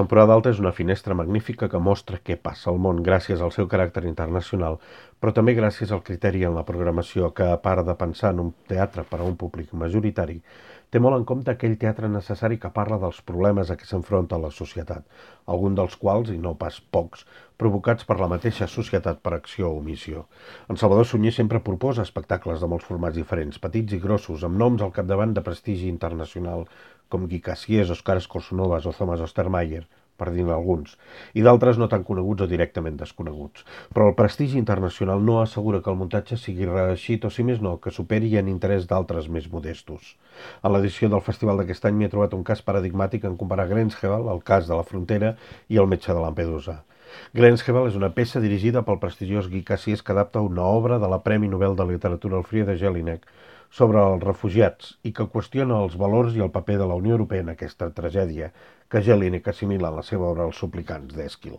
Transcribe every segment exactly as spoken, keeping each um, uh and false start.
Temporada Alta és una finestra magnífica que mostra què passa al món gràcies al seu caràcter internacional, però també gràcies al criteri en la programació que, a part de pensar en un teatre per a un públic majoritari, té molt en compte aquell teatre necessari que parla dels problemes a què s'enfronta la societat, algun dels quals, i no pas pocs, provocats per la mateixa societat per acció o omissió. En Salvador Sunyer sempre proposa espectacles de molts formats diferents, petits i grossos, amb noms al capdavant de prestigi internacional, com Guy Cassiers, Òscar Escorsonovas o Thomas Ostermayer, per dir-ne alguns, i d'altres no tan coneguts o directament desconeguts. Però el prestigi internacional no assegura que el muntatge sigui reeixit o, si més no, que superi en interès d'altres més modestos. A l'edició del festival d'aquest any m'hi he trobat un cas paradigmàtic en comparar Grenzhebel, el cas de la frontera, i el metge de Lampedusa. Grenzhebel és una peça dirigida pel prestigiós Guy Cassiers que adapta una obra de la Premi Nobel de Literatura Elfriede Jelinek sobre els refugiats i que qüestiona els valors i el paper de la Unió Europea en aquesta tragèdia que Jelinek assimila en la seva obra Els suplicants d'Èsquil.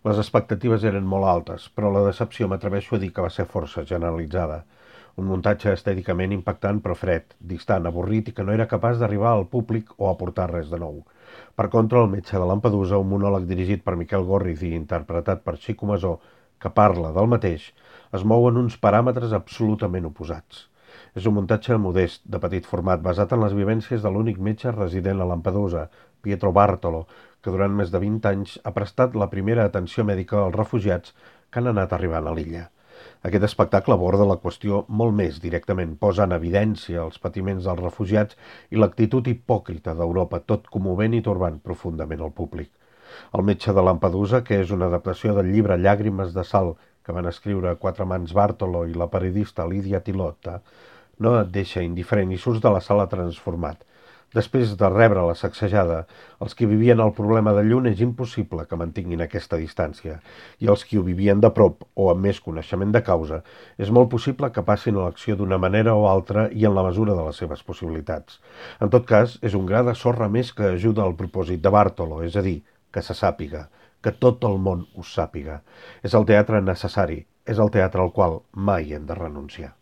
Les expectatives eren molt altes, però la decepció m'atreveixo a dir que va ser força generalitzada. Un muntatge estèticament impactant però fred, distant, avorrit i que no era capaç d'arribar al públic o aportar res de nou. Per contra, El metge de Lampedusa, un monòleg dirigit per Miquel Gorriz i interpretat per Xico Masó, que parla del mateix, es mou en uns paràmetres absolutament oposats. És un muntatge modest, de petit format, basat en les vivències de l'únic metge resident a Lampedusa, Pietro Bartolo, que durant més de vint anys ha prestat la primera atenció mèdica als refugiats que han anat arribant a l'illa. Aquest espectacle aborda la qüestió molt més directament, posa en evidència els patiments dels refugiats i l'actitud hipòcrita d'Europa, tot commovent i torbant profundament al públic. El metge de Lampedusa, que és una adaptació del llibre Llàgrimes de sal que van escriure quatre mans Bartolo i la periodista Lídia Tilota, no et deixa indiferent i surts de la sala transformat. Després de rebre la sacsejada, els que vivien el problema de lluny és impossible que mantinguin aquesta distància, i els que ho vivien de prop o amb més coneixement de causa, és molt possible que passin a l'acció d'una manera o altra i en la mesura de les seves possibilitats. En tot cas, és un gra de sorra més que ajuda al propòsit de Bartolo, és a dir, que se sàpiga, que tot el món ho sàpiga. És el teatre necessari, és el teatre al qual mai hem de renunciar.